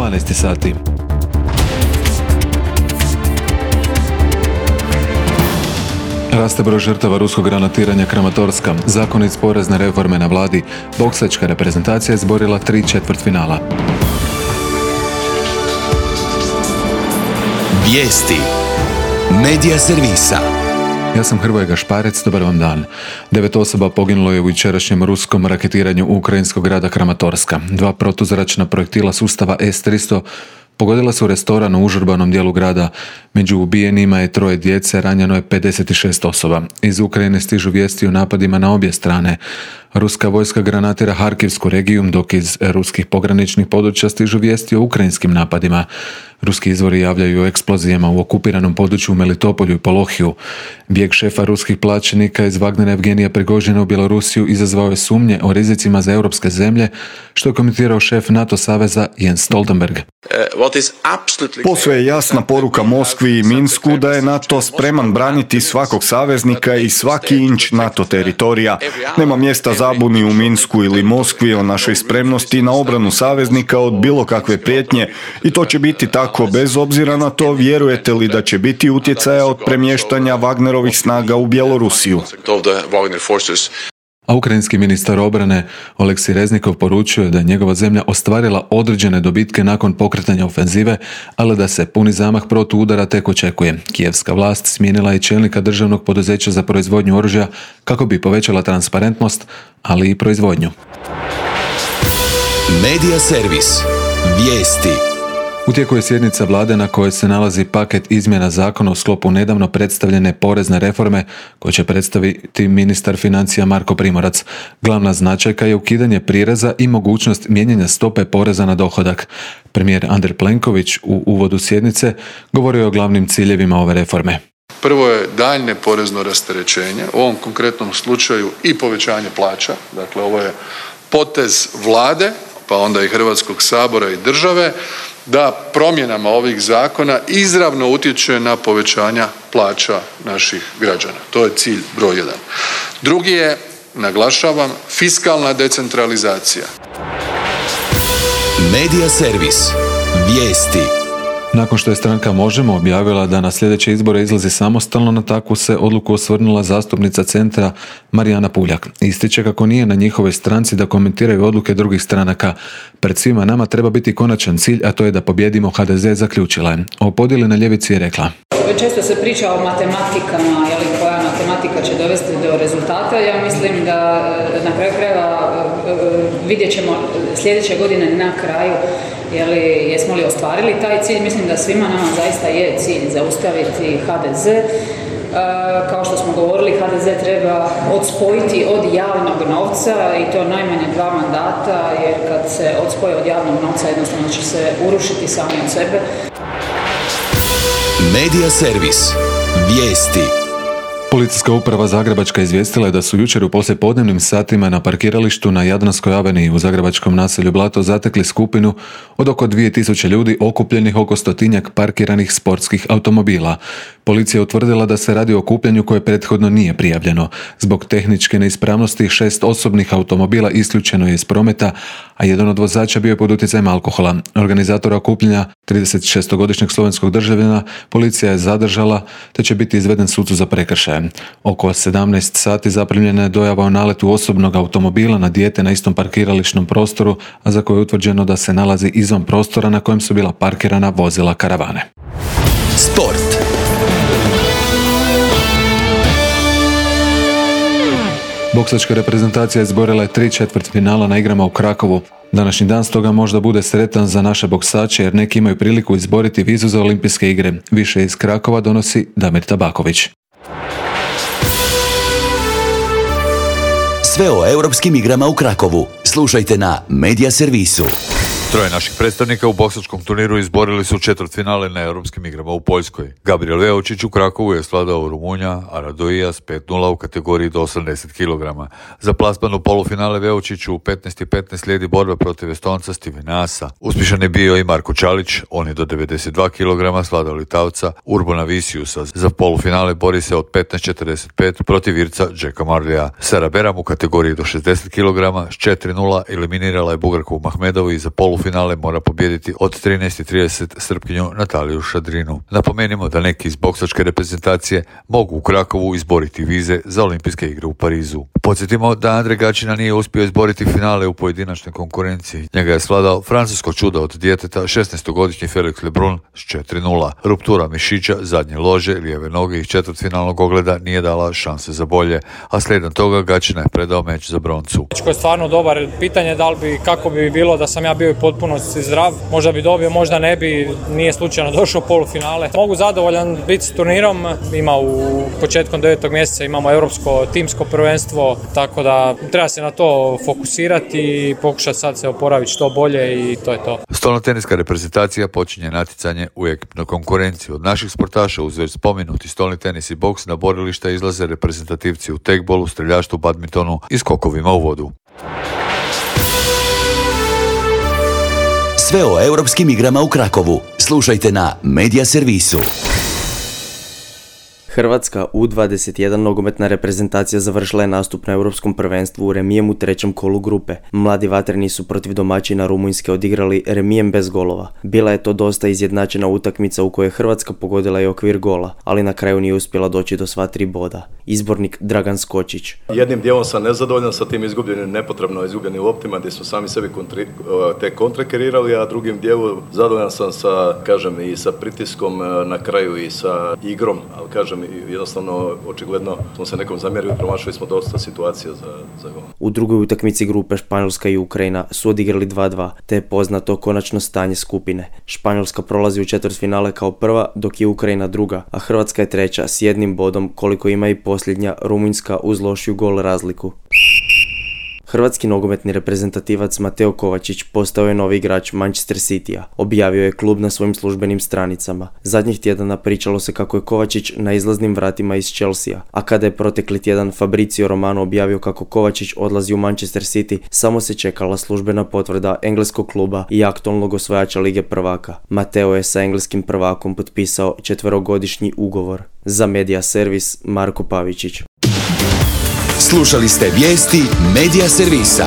12 sati. Raste broj žrtava ruskog granatiranja Kramatorska, zakonic porezne reforme na vladi, boksačka reprezentacija je izborila 3 četvrtfinala. Vijesti Medija servisa. Ja sam Hrvoje Gašparec, dobar vam dan. 9 osoba poginulo je u jučerašnjem ruskom raketiranju ukrajinskog grada Kramatorska. 2 protuzračna projektila sustava S-300 pogodila su restoran u užurbanom dijelu grada. Među ubijenima je 3 djece, ranjeno je 56 osoba. Iz Ukrajine stižu vijesti o napadima na obje strane. Ruska vojska granatira Harkivsku regiju, dok iz ruskih pograničnih područja stižu vijesti o ukrajinskim napadima. Ruski izvori javljaju o eksplozijama u okupiranom području u Melitopolju i Polohiju. Bijeg šefa ruskih plaćenika iz Wagnera Evgenija Prigožina u Bjelorusiju izazvao je sumnje o rizicima za europske zemlje, što je komentirao šef NATO saveza Jens Stoltenberg. Posve je jasna poruka Moskvi i Minsku da je NATO spreman braniti svakog saveznika i svaki inč NATO teritorija. Nema mjesta zabuni u Minsku ili Moskvi o našoj spremnosti na obranu saveznika od bilo kakve prijetnje i to će biti tako bez obzira na to vjerujete li da će biti utjecaja od premještanja Wagnerovih snaga u Bjelorusiju. A ukrajinski ministar obrane Oleksij Reznikov poručio je da je njegova zemlja ostvarila određene dobitke nakon pokretanja ofenzive, ali da se puni zamah protuudara tek očekuje. Kijevska vlast smijenila je čelnika državnog poduzeća za proizvodnju oružja kako bi povećala transparentnost, ali i proizvodnju. Medija servis. Vijesti. U tijeku je sjednica vlade na kojoj se nalazi paket izmjena zakona u sklopu nedavno predstavljene porezne reforme koje će predstaviti ministar financija Marko Primorac. Glavna značajka je ukidanje prireza i mogućnost mijenjanja stope poreza na dohodak. Premijer Andrej Plenković u uvodu sjednice govorio je o glavnim ciljevima ove reforme. Prvo je daljnje porezno rasterećenje, u ovom konkretnom slučaju i povećanje plaća. Dakle, ovo je potez vlade, pa onda i Hrvatskog sabora i države, da promjenama ovih zakona izravno utječe na povećanja plaća naših građana. To je cilj broj 1. Drugi je, naglašavam, fiskalna decentralizacija. Medija servis. Vijesti. Nakon što je stranka Možemo objavila da na sljedeće izbore izlazi samostalno, na takvu se odluku osvrnula zastupnica Centra Marijana Puljak. Ističe kako nije na njihovoj stranci da komentiraju odluke drugih stranaka. Pred svima nama treba biti konačan cilj, a to je da pobijedimo HDZ, zaključila je. O podjeli na ljevici je rekla. Često se priča o matematikama, koja matematika će dovesti do rezultata. Ja mislim da na kraju krajeva vidjet ćemo sljedeće godine na kraju jesmo li ostvarili taj cilj. Mislim da svima nama zaista je cilj zaustaviti HDZ. Kao što smo govorili, HDZ treba odspojiti od javnog novca i to najmanje 2 mandata, jer kad se odspoje od javnog novca jednostavno će se urušiti sami od sebe. Medija servis. Vijesti. Policijska uprava Zagrebačka izvijestila je da su jučer u poslijepodnevnim satima na parkiralištu na Jadranskoj aveniji u zagrebačkom naselju Blato zatekli skupinu od oko 2000 ljudi okupljenih oko 100-tinjak parkiranih sportskih automobila. Policija je utvrdila da se radi o okupljanju koje prethodno nije prijavljeno. Zbog tehničke neispravnosti 6 osobnih automobila isključeno je iz prometa, a jedan od vozača bio je pod utjecajem alkohola. Organizatora okupljanja, 36-godišnjeg slovenskog državljana, policija je zadržala te će biti izveden sucu za prekršaje. Oko 17 sati zaprimljena je dojava o naletu osobnog automobila na dijete na istom parkirališnom prostoru, a za koje je utvrđeno da se nalazi izvan prostora na kojem su bila parkirana vozila karavane. Sport. Boksačka reprezentacija izborila je 3 četvrtfinala na igrama u Krakovu. Današnji dan stoga možda bude sretan za naše boksače jer neki imaju priliku izboriti vizu za olimpijske igre. Više iz Krakova donosi Damir Tabaković. Sve o europskim igrama u Krakovu slušajte na Medija servisu. 3 naših predstavnika u boksačkom turniru izborili su četvrtfinale na europskim igrama u Poljskoj. Gabriel Veočić u Krakovu je svladao Rumunja, a Radoijas 5-0 u kategoriji do 80 kg. Za plasman u polufinale Veočiću u 15:15 slijedi borba protiv Estonca Stevena Asa. Uspješan je bio i Marko Čalić, on je do 92 kg svladao Litavca Urbana Visiusa. Za polufinale bori se od 15:45 protiv Irca Jacka Marleya. Sara Beram u kategoriji do 60 kg s 4-0 eliminirala je Bugarku Mahmedovu i za polufinale polufinale mora pobijediti od 13:30 Srpkinju Nataliju Šadrinu. Napomenimo da neki iz boksačke reprezentacije mogu u Krakovu izboriti vize za olimpijske igre u Parizu. Podsjetimo da Andre Gaćina nije uspio izboriti finale u pojedinačnoj konkurenciji. Njega je svladao francusko čudo od djeteta 16-godišnji Felix Lebrun s 4:0. Ruptura mišića zadnje lože, lijeve noge iz četvrtfinalnog ogleda nije dala šanse za bolje, a slijedom toga Gaćina je predao meč za broncu. Ko je stvarno dobar, pitanje da li bi, kako bi bilo da sam ja bio u potpunosti zdrav, možda bi dobio, možda ne bi, nije slučajno došao u polufinale. Mogu zadovoljan biti s turnirom, ima u početkom 9. mjeseca imamo europsko timsko prvenstvo, tako da treba se na to fokusirati i pokušati sad se oporaviti što bolje i to je to. Stolnoteniska reprezentacija počinje natjecanje u ekipnoj konkurenciji. Od naših sportaša uz već spomenuti stolni tenis i boks na borilišta izlaze reprezentativci u tekbolu, streljaštvu, badmintonu i skokovima u vodu. Sve o europskim igrama u Krakovu slušajte na Media Servisu. Hrvatska U21 nogometna reprezentacija završila je nastup na Europskom prvenstvu u remijem u trećem kolu grupe. Mladi vatreni su protiv domaćina Rumunjske odigrali remijem bez golova. Bila je to dosta izjednačena utakmica u kojoj je Hrvatska pogodila i okvir gola, ali na kraju nije uspjela doći do sva 3 boda. Izbornik Dragan Skočić. Jednim dijelom sam nezadovoljan sa tim nepotrebno izgubljenim loptima gdje smo sami sebi te kontre kreirali, a drugim dijelu zadovoljan sam i sa pritiskom na kraju i sa igrom, ali jednostavno, očigledno smo se nekom zamjerili, promašili smo dosta situacija za gol. U drugoj utakmici grupe Španjolska i Ukrajina su odigrali 2:2, te je poznato konačno stanje skupine. Španjolska prolazi u četvrtfinale kao prva, dok je Ukrajina druga, a Hrvatska je treća s 1 bodom koliko ima i posljednja Rumunjska uz lošiju gol razliku. Hrvatski nogometni reprezentativac Mateo Kovačić postao je novi igrač Manchester Citya, objavio je klub na svojim službenim stranicama. Zadnjih tjedana pričalo se kako je Kovačić na izlaznim vratima iz Chelsea, a kada je protekli tjedan Fabrizio Romano objavio kako Kovačić odlazi u Manchester City, samo se čekala službena potvrda engleskog kluba i aktualnog osvajača Lige prvaka. Mateo je sa engleskim prvakom potpisao 4-godišnji ugovor. Za Media Servis Marko Pavičić. Slušali ste vijesti Media Servisa.